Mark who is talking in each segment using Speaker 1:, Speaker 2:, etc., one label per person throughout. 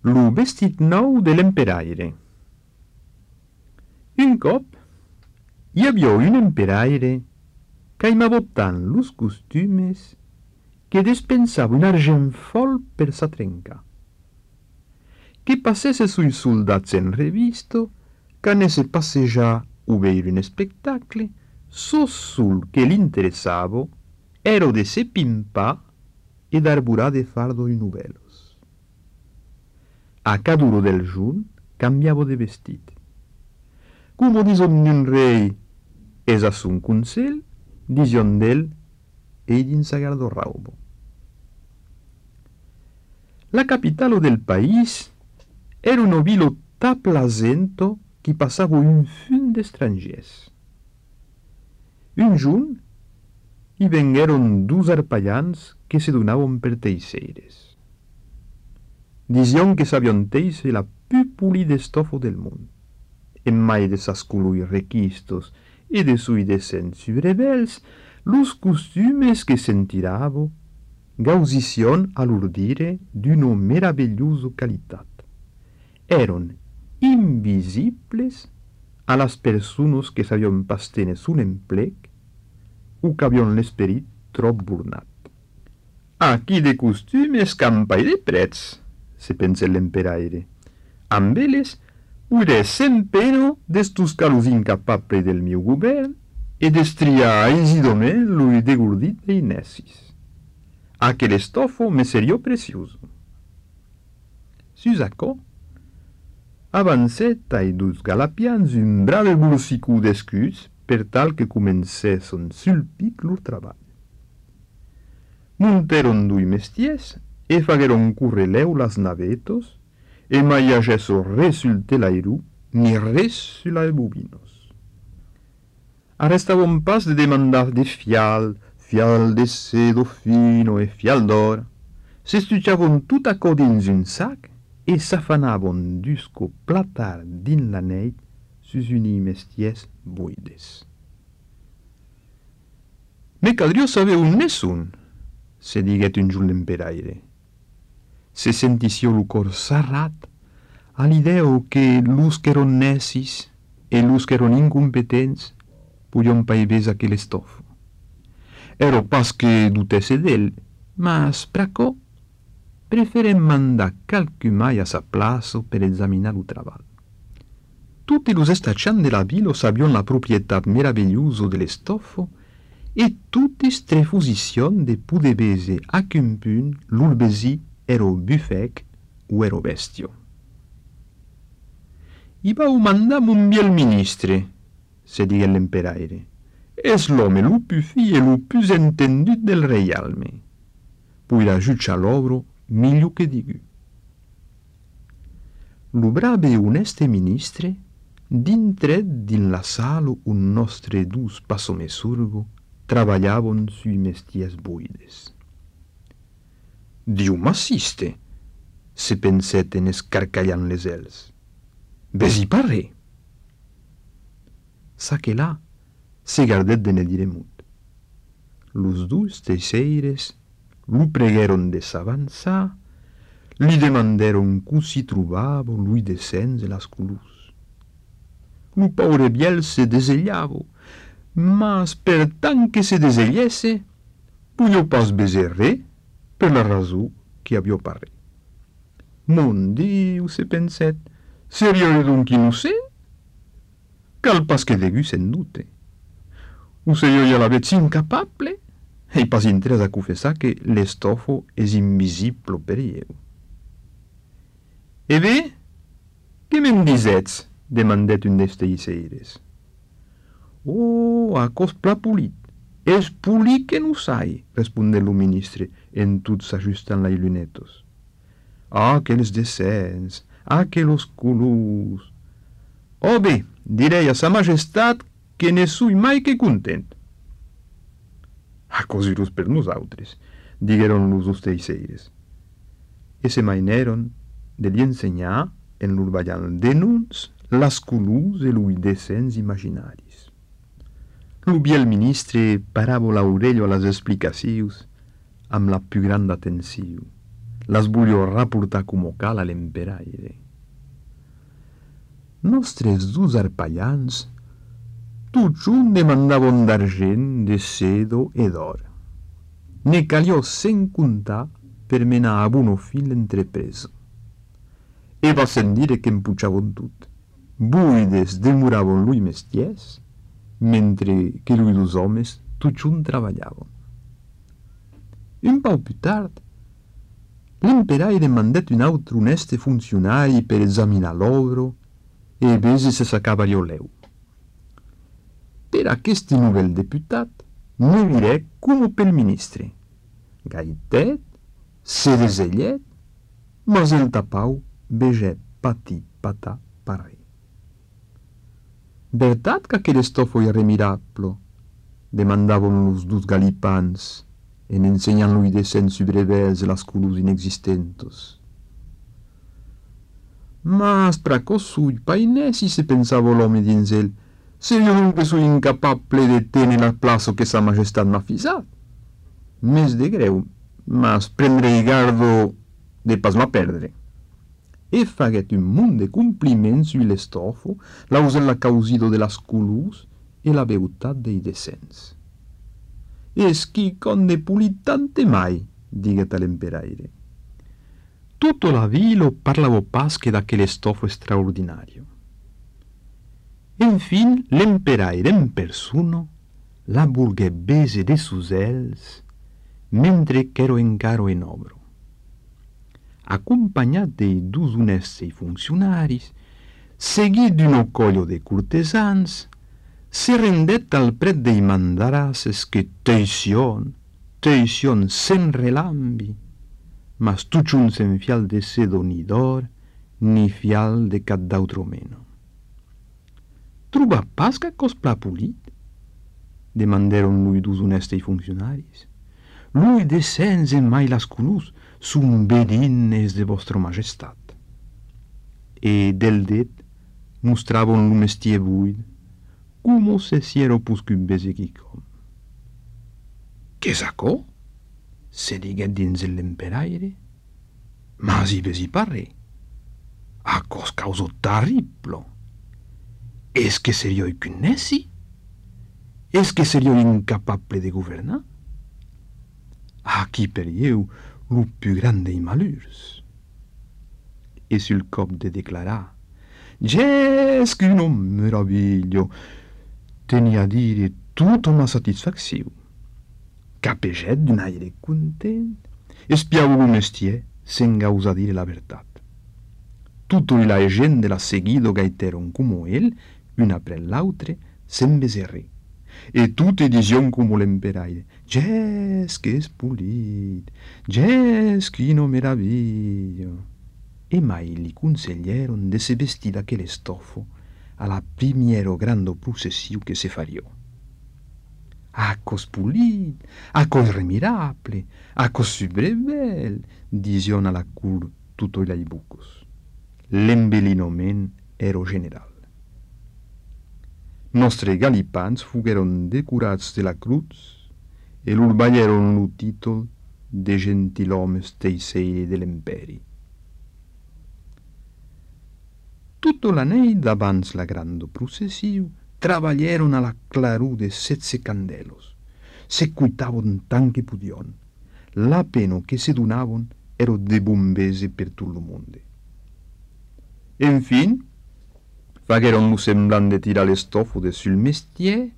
Speaker 1: Lo vestit nou de l'emperaire. Un cop hi havia un emperaire que aimava tant los costumes que despensava un argent fol per sa trenca. Que passesse sui soldats en revisto, qu'anesse passejar o veire un spectacle, sul que l'interessava era de se pimpar e d'arborar de fardo i novelos. A cada ora del jorn cambiava de vestit. Como dison un rei es a son consell, dison d'ell ell in sa garderaubo. La capitalo del país era una vila ta plasento qui passava un fun d'estrangers. Un jorn hi vengueren dos arpallans que se donaven per teixeires. Dision que sabion teixer la pu polida estofa del món. En mai de sas colors requistos e de sui descens rebels, los costumes que sentiravo gausicion a l'urdire d'una meravigliosa qualitat. Eron invisibles a las persones que sabion pas tener un emplec o que avion l'esperit trop burnat. Aquí de costumes campa i de prets, se pensa l'emperaire. Amb elles ure sen pena d'estos calos incapables del meu govern e destriar aisidament l'ui degordit de inessis. Aquel estofo me seria precioso. Sus aquò, avancet ai dos galapians un brave bolsicú d'escuts per tal que comencesson sul pic lor treball. Monteron dui mestiers e fagueron curreleu las navetos e mai agesso res sul telairu ni res sul bobinos. Arrestavon pas de demandar de fial de cedo fino e fial d'or. S'estuchavon tout aquò dins un sac e s'afanavon d'usco platar din la neit sus uni mestiers buides. Me caldria saber un nessun, se diguet un jorn l'emperaire. Se sentissió lo cor sarrat a l'idea que los que eron necis e los que eron incompetents puion paivés aquel estofo. Ero pas que dutesse d'ell, mas pr'aquò preferem mandar calcumai a sa plaça per examinar lo treball. Tutti los estaccians de la vila sabion la proprietat meravigliosa de l'estofo e tutti strefusicion de poder vese a qu'un punt lor besí ero bufec o ero bestio. I vau mandar mon biel ministre, se digué l'emperaire. Es l'home lo più fi e lo più entendut del reialme. Puira giucciar l'obro miglior che digu. Lo brave e oneste ministre dintret din la sala un nostre dus passomesurgo travagliavon sui mestiers buides. Diu m'assiste, se penset en escarcallant les els. Besi parre. Sa que là se gardet de ne dire mut. Los dus teixeires lo pregueron de s'avançar, li demanderon cu si trobava lui descens e las colors. Lo paure biel se desellava, mas per tant que se desellesse, puio pas beser re per la raso que havia parre. Mon Diu, se penset, seria donc innocent? Cal pas que degu sen dute. O se io l'avet incapable? E pas intres a confessar que l'estofo es invisible per eu. E bé, que me'n disets? Demandet un des teixeires. Oh, acos pla polit. Es polit que no sai, responde lo ministre, en tot s'ajustant les lunetos. Ah, quels descens, ah, quels colors. Oh bé, direi a sa majestat que ne sui mai que content. A cosiros per nosaltres, digueron los dos teixeires. E se maineron de li ensenyar en l'urballant denuns las colors e lui descens imaginaris. Lo biel ministre parava l'orello a les explicacions amb la più grande atenció. las voglio rapportar come cal a l'emperaire. Nostres dus arpallans tuttun demandavon d'argent, de cedo e d'or. Ne caliò sen contar per menar a buono fil l'entrepresa. E va sen dire che empucciavon tut. Buides demuravon lui mestiers, mentre che lui dus homes tuttun travagliavon. Un pau più tard, l'emperaire mandat un autre oneste funzionari per esaminar l'ovro e vese se sacava leu. Per aquest nouvel deputat ne virè come pel ministre. Gaitet, se desellet, mas el tapau vegè pati patà parè. Vertat qu'aquel estofo irremirablo, demandavon los dus galipans, en ensenyant lui descent subrevels las culus inexistentos. Mas pracos sui painè si se pensava l'home dins el, se io non que sui incapable de tenir la plaça que sa majestat m'ha fisat. Mes de greu, mas prendrei gardo de pas ma perdre. E faguet un munt de compliments sui l'estofo, lausel la causido de las culus e la beutat dei descents. Eschi conde pulitante mai, diguet a l'emperaire. Tutto la vilo parlavo pas che d'aquel stofo straordinario. Enfin, l'emperaire en persona la vulguè bese de sus els, mentre qu'ero encaro en obro. Accompagnat dei dus onesti funzionaris, seguit d'un ocollo de cortesans, se rendet al pret dei mandarasses que teision sen relambi, mas tuttun sen fial de cedo ni d'or, ni fial de cap d'autro meno. Truba pas qu'acos pla pulit? Demanderon lui dus onesti funzionaris. Lui descens en mai las culus sun bedines de vostra majestat. E del det mostravon lo mestier buid, como se siero puscu besechicom. Che sacò? Se diguet dins l'emperaire, mas i vesi parre. Acos causo terriblo. Es que serio cunnessi? Es que serio incapable de governar? Aquí per ieu lo più grande i malheurs. E sul cop de declarar, «Ges que non meraviglio», tenia a dire tutto ma satisfacció. Capeget d'un aire content, espiavo lo mestier sen gausa dire la vertat. Tutto la gent de la seguido gaiteron como el, un apre l'autre, sen beserrer. E tutte dision como l'emperaire, «Ges que es pulit, ges quino meraviglio». E mai li consiglieron de se vestir d'aquel estofo a la primiero grande processiu que se fario. «Acos pulit, acos remirable, acos subrevel», dision a la cur tutto i bucos. L'embellinoment ero general. Nostre galipans fugueron decurats de la cruz e lur baglieron lo títol de gentilhomes teiseire de l'emperi. Tutto l'anell d'abans la grande processiu travaglieron a la clarù de 7 candelos. Se cuitavon tant que pudion. La pena que se donavon ero de bombese per tot lo monde. Enfin, fagueron lo semblant de tirar l'estofo de sul mestier,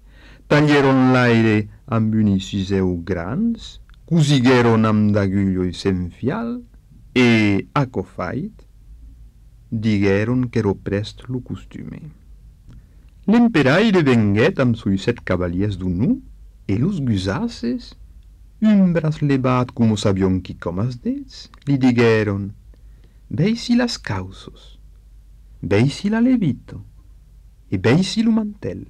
Speaker 1: taglieron l'aire amb unisiseu grans, cosigueron amb d'agulloi sen fial e, acofait, digueron qu'ero prest lo costume. L'emperaire venguet amb sui 7 cavaliers d'unu e los gusasses, un bras levat como sabion qui com as dets, li digueron, «Veisi las causos, veisi la levito, e veisi lo mantel.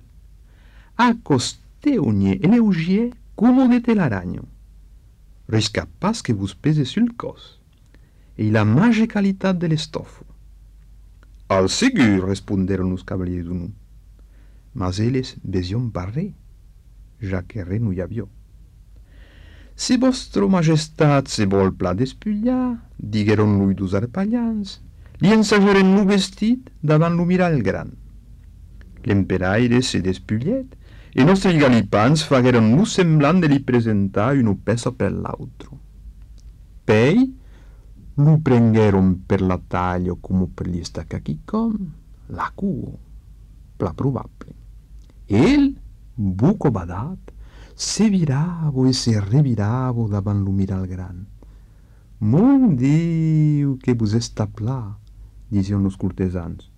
Speaker 1: Acosteogne e leugier como de telaraño. Risca pas que vos pese sul cos, e la mage qualitat de l'estofo». «Al segur», responderon los cavaliers d'unu. Mas eles besion parrer, ja que re no hi havia. «Se vostro majestat se vol pla despullar», digueron lui dus arpallans, «li ensageren lo vestit davant lo mirall gran». L'emperaire se despullet e nostri galipans fagueron lo semblant de li presentar una peça per l'altro. Pei lo prengueron per la taglio come per gli staccachicom, la cuo, pla probable. El, buco badat, se viravo e se reviravo davant lo mirall gran. «Mon Diu, que vos està pla», dicen los cortesans.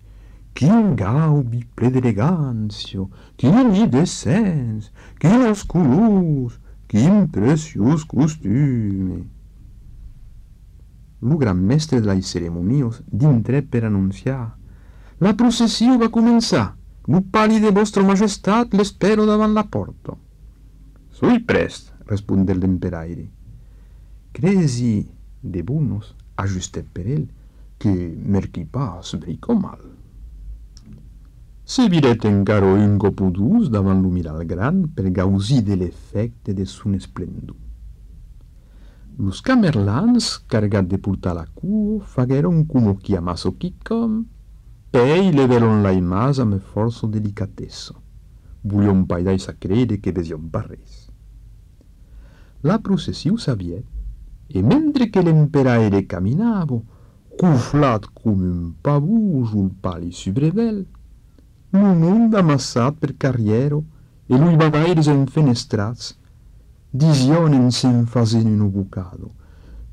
Speaker 1: «Quin gaubi ple d'elegància, quin decens, quines colors, quin preciós costume». Lo gran mestre de les ceremonios dintre per anunciar: «La processió va començar. Lo pali de vostra majestat l'espero davant la porta». «Soi prest», respondé l'emperaire. «Cresi de bunos», ajustet per ell, «que merqui pas brico mal». Se viret encara un cop o dus davant lo mirall gran per gausir de l'efecte de son esplendor. Los camerlans, cargat de portar la cuo, fagueron como chiamasso quicom, pei leveron la imas amb força delicatessa. Voglion paidais a crede que vesion parres. La processiu s'aviet, e mentre que l'emperaire caminava, cuflat com un pavù sul pali subrevel, lo mond amassat per carriero e lui bagaires enfenestrats, disionen se'n fasen un bucado: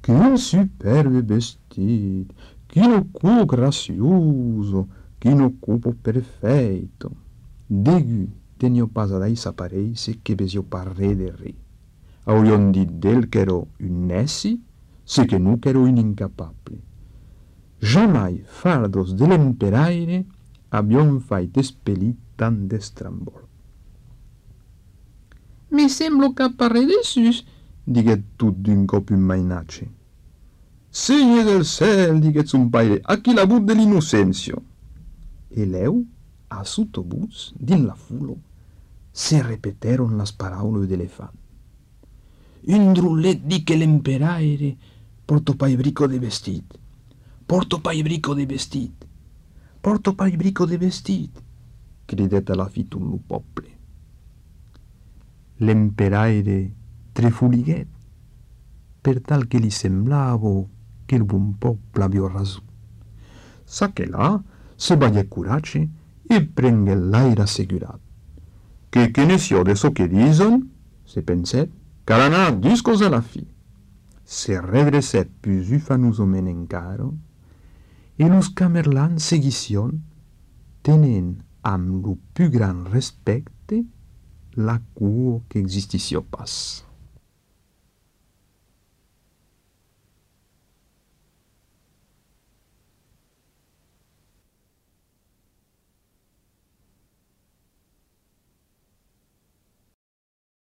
Speaker 1: «Quin superbe vestit, quino cuo gracioso, quino cupo perfeito». Degu tenio pas adais apareise che vesio parre de re. Aurion dit d'el qu'ero un nessi, se que nu qu'ero un incapable. Jamai fardos de l'emperaire avion fait espellit tant d'estrambol. «Me semblo qu'appare de sus», diguet tot d'un cop un mainatge. «Segne del cel», diguet son paire, «a qui la but de l'innocencio». E leu, a sottobuts, din la fulo, se repeteron las paraules d'elefant. «Un drullet di che l'emperaire porto paibrico de vestit, porto paibrico de vestit, porto paibrico de vestit», cridet a la fi tot lo poble. L'emperaire trefuliguet, per tal que li semblava que el bon poble avia raso. Saqué là, se bagué coratge e prengué l'aire assegurat. «Que ne sia de so que disen», se penset, «cal anar discos a la fi». Se redrecet plus ufanosament encara, e los camerlans seguission, tenen amb lo plus gran respecte la cuo que existissió pas.